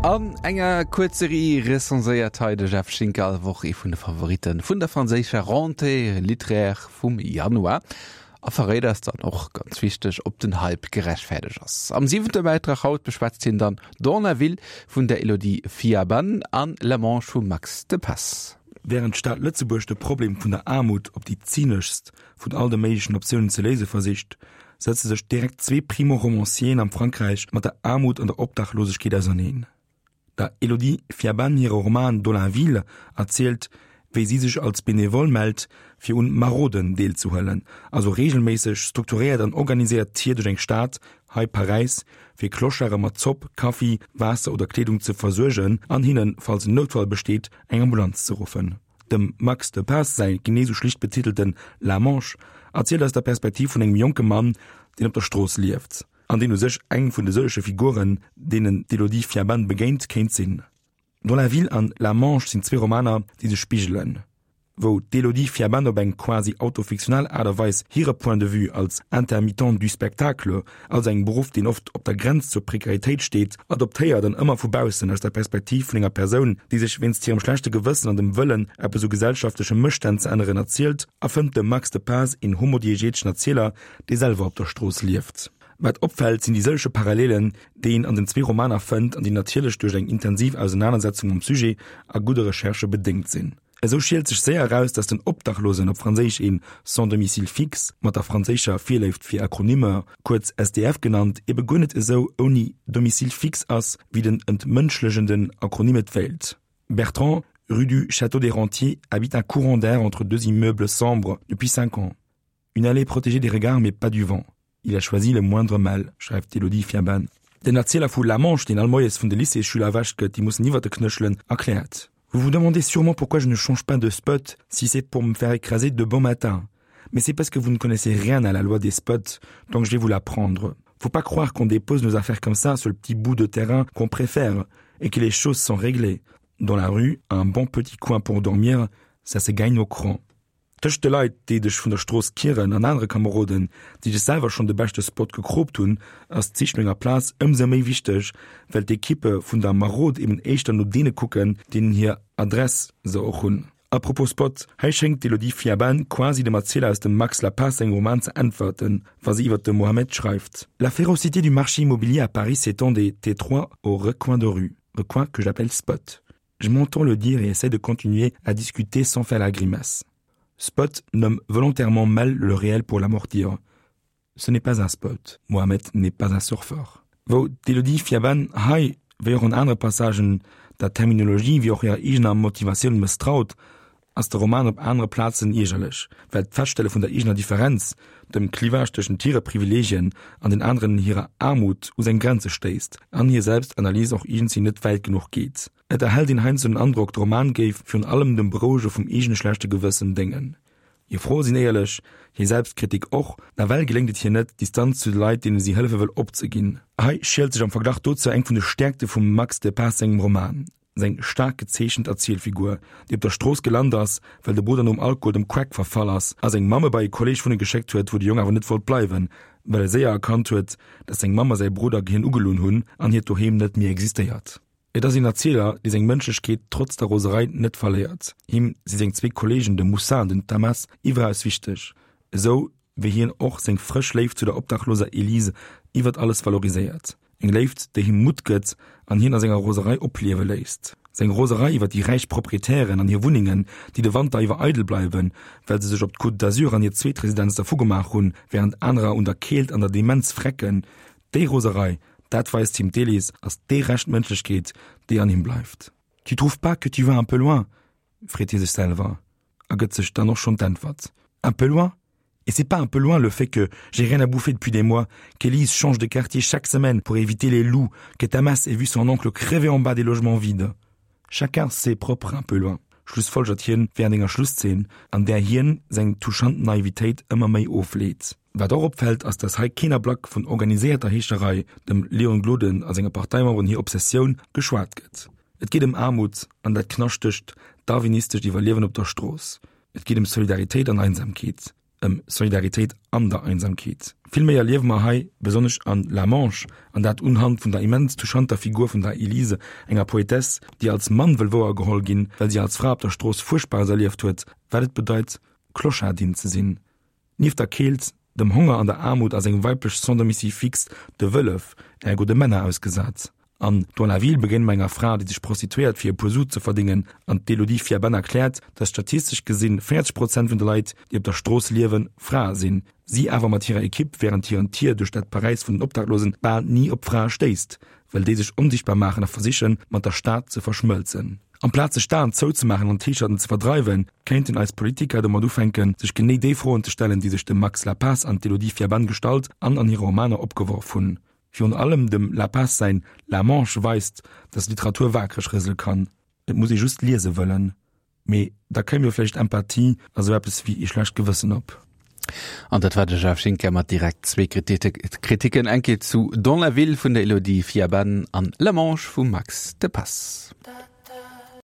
An enger Kuerzserie recenséiert hei de Jeff Schinker all Woch ee vun de Favoritte vun der franséischer Rentrée littéraire vum Januar a verréit eis dann och, ganz wichteg, ob den Hype gerechtfäerdegt ass. Am siwente Bäitrag haut beschwätzt hien dann Dans la ville vun der Elodie Fiaban an La Manche vum Max de Passe. Wärend d'Stad Lëtzebuerg de Problem vun der Aarmut op déi zyneschst vun all de méiglechen Optiounen ze léise versicht, setze sech direkt zwee Primo-Romancieren am Frankräich mat der Aarmut an der Obdachlosegkeet auserneen. Der Elodie Fiaban hire Roman Dans la ville erzielt, wéi si sech als Benevole mellt, fir un Maroden deelzehuelen, also reegelméisseg, strukturéiert an organiséiert Tier duerch eng Stad, hei Paräis, fir Clocharde mat Zopp, Kaffi, Waasser oder Kleedung ze versuergen an hinnen, falls en Noutfall besteet, eng Ambulanz ze ruffen. Dem Max de Passe säi genee sou schlicht betitelten La Manche erzielt aus der Perspektiv vun engem jonke Mann, deen op der Strooss lieft an deen u sech eng vun de sëllege Figuren, deenen d'Elodie Fiaban begéint, kéint sinn. Dans la ville an La Manche sinn zwee Romaner, déi sech spigelen. Wou d'Elodie Fiaban op eng quasi autofiktional Aart a Weis hire Point de vue als Intermittente du spectacle, also engem Beruff, deen oft op der Grenz zur Prekaritéit steet, adoptéiert an ëmmer vu baussen, aus der Perspektiv vun enger Persoun, déi sech wéinst hirem schlechte Gewëssen an dem Wëllen, eppes u gesellschaftleche Mësstänn ze änneren, erzielt, erfënnt de Max de Paas een homodiegeteschen Erzieler, dee selwer op der Strooss lieft. Wat opfält, sinn déi sëllege Parallelen, déi een an den zwee Romaner fënnt an déi natierlech duerch eng intensiv Ausenanersetzung mam Sujet a gudde Recherchë bedéngt sinn. Esou schielt sech séier eraus, dass den Obdachlosen, op Franséisch een sans domicile fixe, mat der franséischer Virléift fir Akronymer, kuerz SDF genannt, ebe guer net esou ouni Domicile fixe ass, wéi den entmënschlechenden Akronym et wéilt. Bertrand, rue du Château des Rentiers, habite un courant d'air entre deux immeubles sombres depuis cinq ans. Une allée protégée des regards mais pas du vent. Il a choisi le moindre mal, schreift d'Elodie Fiaban. Den Erzieler vu La Manche, deen all Moies vun de Lycéesschüler erwächt gëtt, déi mussen iwwer de Knéchelen, erkläert, Vous vous demandez sûrement pourquoi je ne change pas de spot si c'est pour me faire écraser de bon matin. Mais c'est parce que vous ne connaissez rien à la loi des spots, donc je vais vous l'apprendre. Faut pas croire qu'on dépose nos affaires comme ça sur le petit bout de terrain qu'on préfère et que les choses sont réglées. Dans la rue, un bon petit coin pour dormir, ça se gagne au cran. Tëscht de Leit, déi dech vun der Strooss kieren an anere Kameroden, déi dech selwer schonn de beschte Spot gekroopt hunn, ass d'Sich no enger Plaz ëmsou méi wichteg, well d'Ekippe vun der Marod eben éischter no deene kucken, deenen hir Adress se och hunn. A propos Spot, hei schéngt d'Elodie Fiaban quasi dem Erzieler aus dem Max Lapace sengem Roman ze äntwerten, wa se iwwer de Mohamed schreift, La férocité du marché immobilier à Paris s'étend des T3 aux recoins de rue, recoins que j'appelle spot. Je m'entends le dire et essaie de continuer à discuter sans faire la grimace. Spot nomme volontairement mal le réel pour l'amortir. Ce n'est pas un spot. Mohamed n'est pas un surfeur. Wou d'Elodie Fiaban hei, wéi och an anere Passagen, der Terminologie wéi och hirer eegener Motivatioun mësstraut, ass de Roman op anere Plazen iergerlech, well d'Feststelle vun der eegener Differenz, dem Clivage tëschent hire Privileegien an den aneren hirer Aarmut, u seng Grenze stéisst an hir Selbstanalys och iergendwéi net wäit genuch geet. Et erhält een heiansdo den Androck, de Roman géif virun allem dem Berouege vum eegene schlechte Gewëssen déngen. Hir Froe sinn éierlech, hir Selbstkritik och, nawell geléngt et hir net, d'Distanz zu de Leit, deene si hëllefe wëll, opzeginn. Hei schielt sech am Verglach dozou eng vun de Stäerkte vum Max de Paas sengem Roman. Seng staark gezeechent Erzielfigur, déi op der Strooss gelant ass, well de Brudder nom Alkohol dem Crack verfall ass a seng Mamm e bei e Kolleeg wunne geschéckt huet, wou de Jong awer net wollt bleiwen, well e séier erkannt huet, dass seng Mamm a säi Brudder hien ugelunn hunn an hiert Doheem net méi existéiert. Et ass een Erzieler, dee seng Mënschlechkeet trotz der Roserei net verléiert. Him si seng zwee Kolleegen, de Moussa an den Tamas, iwweraus wichteg, esou wéi hien och seng frësch Léift zu der obdachloser Elise iwwert alles valoriséiert. Eng Léift, déi him Mutt gëtt an hien a senger Roserei opliewe léisst. Seng Roserei iwwer déi räich Proprietären an hir Wunnengen, déi de Wanter iwwer eidel bleiwen, well se sech op d'Côte d'Azur an hir zweet Residenz dervu gemaach hunn, wärend anerer un der Keelt an der Demenz vrecken. Déi Roserei, dat weist him d'Elise, ass déi Rescht Mënschlechkeet, déi an him bleift. Tu trouves pas que tu vas un peu loin? freet hie sech selwer a gëtt sech dann och schonn d'Äntwert, Un peu loin? Et c'est pas un peu loin le fait que j'ai rien à bouffer depuis des mois, qu'Élise change de quartier chaque semaine pour éviter les loups, que Tamas ait vu son oncle crever en bas des logements vides. Chacun ses propres un peu loin, schlussfolgert hien während enger Schlusszeen, an där hien seng touchant Naivitéit ëmmer méi ofleet. Wat och opfält, ass dass hei keen Ablack vun organiséierter Heescherei, dem Leon Gloden a senge Parteimemberen hir Obsessioun, geschwat gëtt. Et geet ëm Aarmut an dat knaschtegt, darwinistescht Iwwerliewen op der Strooss. Et geet ëm Solidaritéit an Einsamkeet. Ëm Solidaritéit an der Einsamkeet. Vill méi erliewe mer hei, besonnesch an La Manche, an dat unhand vun der immens touchanter Figur vun der Elise, enger Poetess, déi als Mann wëll wouergeholl ginn, well si als Fra op der Strooss Fuerchtbares erlieft huet, wat et bedeit, Clochardin ze sinn. Nieft der Keelt, dem Honger an der Aarmut ass eng weiblech Sans-domicile fixe de Wëllef, ergo de Männer ausgesat. An Dans la ville begéine mer enger Fra, déi sech prostituéiert fir e puer Su ze verdéngen, an d'Elodie Fiaban erkläert, datt statistesch gesinn 40 Prozent vun de Leit, déi op der Strooss liewen, Frae sinn, si awer mat hirer Ekipp wärend hiren Tier duerch dat Paräis vun den Obdachlosen bal ni op Frae stéisst, well déi sech onsichtbar maachen a versichen, mat der Stad ze verschmëlzen. Amplaz sech d'Aen zouzemaachen an d'Heescherten ze verdreiwen, kéinten eis Politiker domat ufänken, sech genee déi Froen ze stellen, déi sech de Max Lapace an d'Elodie Fiaban gestallt an an hire Romaner opgeworf hunn. Virun allem dem Lapace säin La Manche weist, datt Literatur waakreg rësele kann. Et muss ee just liese wëllen. Mee da kéim jo vläicht Empathie a sou eppes wéi ee schlecht Gewëssen op. An dat war de Jeff Schinker mat direkt zwee Kritiken, eng Kéier zu Dans la ville vun der Elodie Fiaban an La Manche vum Max De Passe.